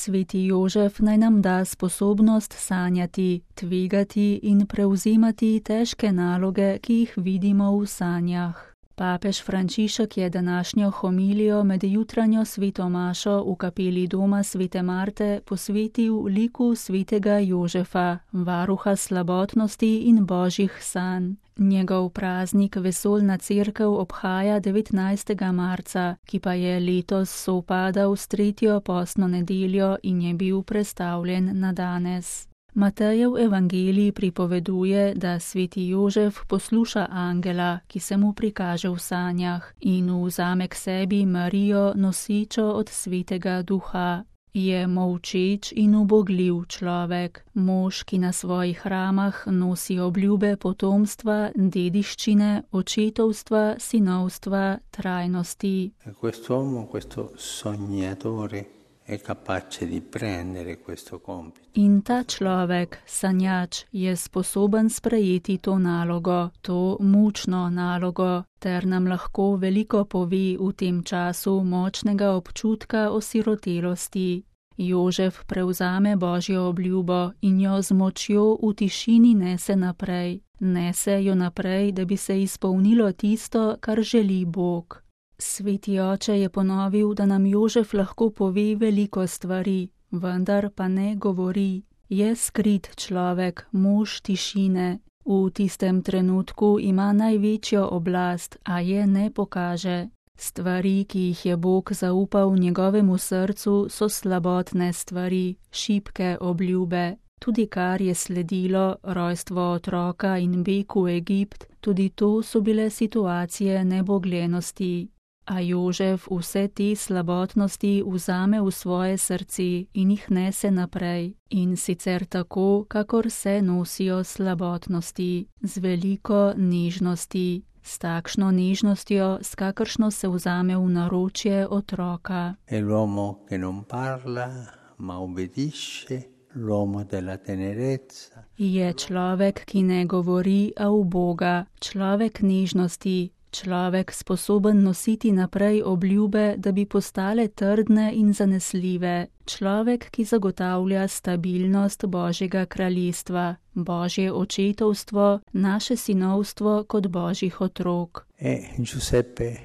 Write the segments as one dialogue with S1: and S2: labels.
S1: Sveti Jožef naj nam da sposobnost sanjati, tvegati in prevzemati težke naloge, ki jih vidimo v sanjah. Papež Frančišek je današnjo homilijo med jutranjo sveto mašo v kapeli doma svete Marte posvetil liku svetega Jožefa, varuha slabotnosti in božjih sanj. Njegov praznik vesoljna cerkev obhaja 19. marca, ki pa je letos sovpadal s 3. postno nedeljo in je bil prestavljen na danes. Matejev evangelij pripoveduje, da sveti Jožef posluša angela, ki se mu prikaže v sanjah, in vzame k sebi Marijo, nosičo od svetega duha. Je molčeč in ubogljiv človek, mož, ki na svojih ramah nosi obljube potomstva, dediščine, očetovstva, sinovstva, trajnosti. In ta človek, sanjač, je sposoben sprejeti to nalogo, to mučno nalogo, ter nam lahko veliko pove v tem času močnega občutka osirotelosti. Jožef prevzame božjo obljubo in jo z močjo v tišini nese naprej. Nese jo naprej, da bi se izpolnilo tisto, kar želi Bog. Sveti oče je ponovil, da nam Jožef lahko pove veliko stvari, vendar pa ne govori. Je skrit človek, mož tišine. V tistem trenutku ima največjo oblast, a je ne pokaže. Stvari, ki jih je Bog zaupal njegovemu srcu, so slabotne stvari, šibke obljube. Tudi kar je sledilo, rojstvo otroka in beg v Egipt, tudi to so bile situacije nebogljenosti. A Jožef vse te slabotnosti vzame v svoje srce in jih nese naprej, in sicer tako, kakor se nosijo slabotnosti, z veliko nežnosti, s takšno nežnostjo, s kakršno se vzame v naročje otroka. Je človek, ki ne govori, a uboga, človek nežnosti, človek sposoben nositi naprej obljube, da bi postale trdne in zanesljive, človek, ki zagotavlja stabilnost Božjega kraljestva, Božje očetovstvo, naše sinovstvo kot Božjih otrok.
S2: Giuseppe,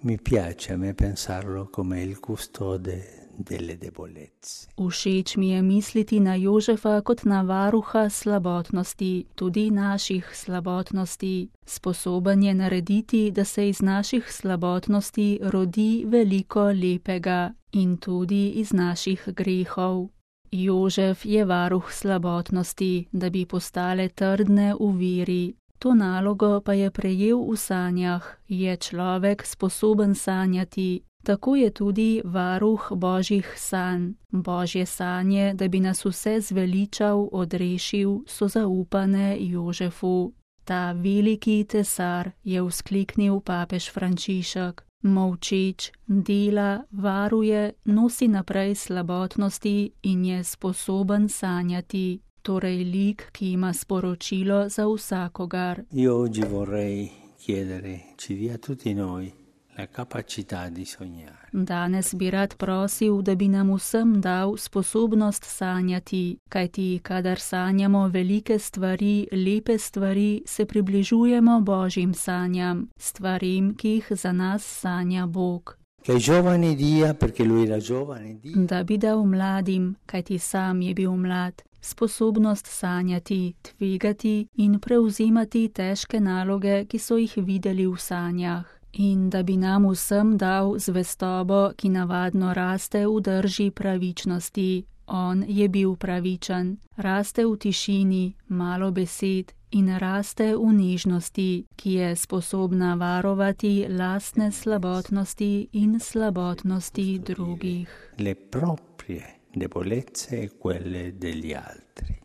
S2: mi piace a me pensarlo come il custode delle debolezze.
S1: Všeč mi je misliti na Jožefa kot na varuha slabotnosti, tudi naših slabotnosti. Sposoben je narediti, da se iz naših slabotnosti rodi veliko lepega in tudi iz naših grehov. Jožef je varuh slabotnosti, da bi postale trdne v veri. To nalogo pa je prejel v sanjah, je človek sposoben sanjati. Tako je tudi varuh božjih sanj. Božje sanje, da bi nas vse zveličal, odrešil, so zaupane Jožefu. Ta veliki tesar, je vzkliknil papež Frančišek. Molčeč, dela, varuje, nosi naprej slabotnosti in je sposoben sanjati. Torej lik, ki ima sporočilo za vsakogar.
S2: Io oggi vorrei chiedere, ci dia tutti noi la capacità di sognare.
S1: Danes bi rad prosil, da bi nam vsem dal sposobnost sanjati, kajti kadar sanjamo velike stvari, lepe stvari, se približujemo Božjim sanjam, stvarim, ki jih za nas sanja Bog.
S2: Che ai giovani dia, perché lui era giovane, dia.
S1: Da bi dal mladim, kajti sam je bil mlad, sposobnost sanjati, tvegati in prevzemati težke naloge, ki so jih videli v sanjah. In da bi nam vsem dal zvestobo, ki navadno raste v drži pravičnosti. On je bil pravičen, raste v tišini, malo besed in raste v nežnosti, ki je sposobna varovati lastne slabotnosti in slabotnosti drugih.
S2: Le proprie debolezze e quelle degli altri.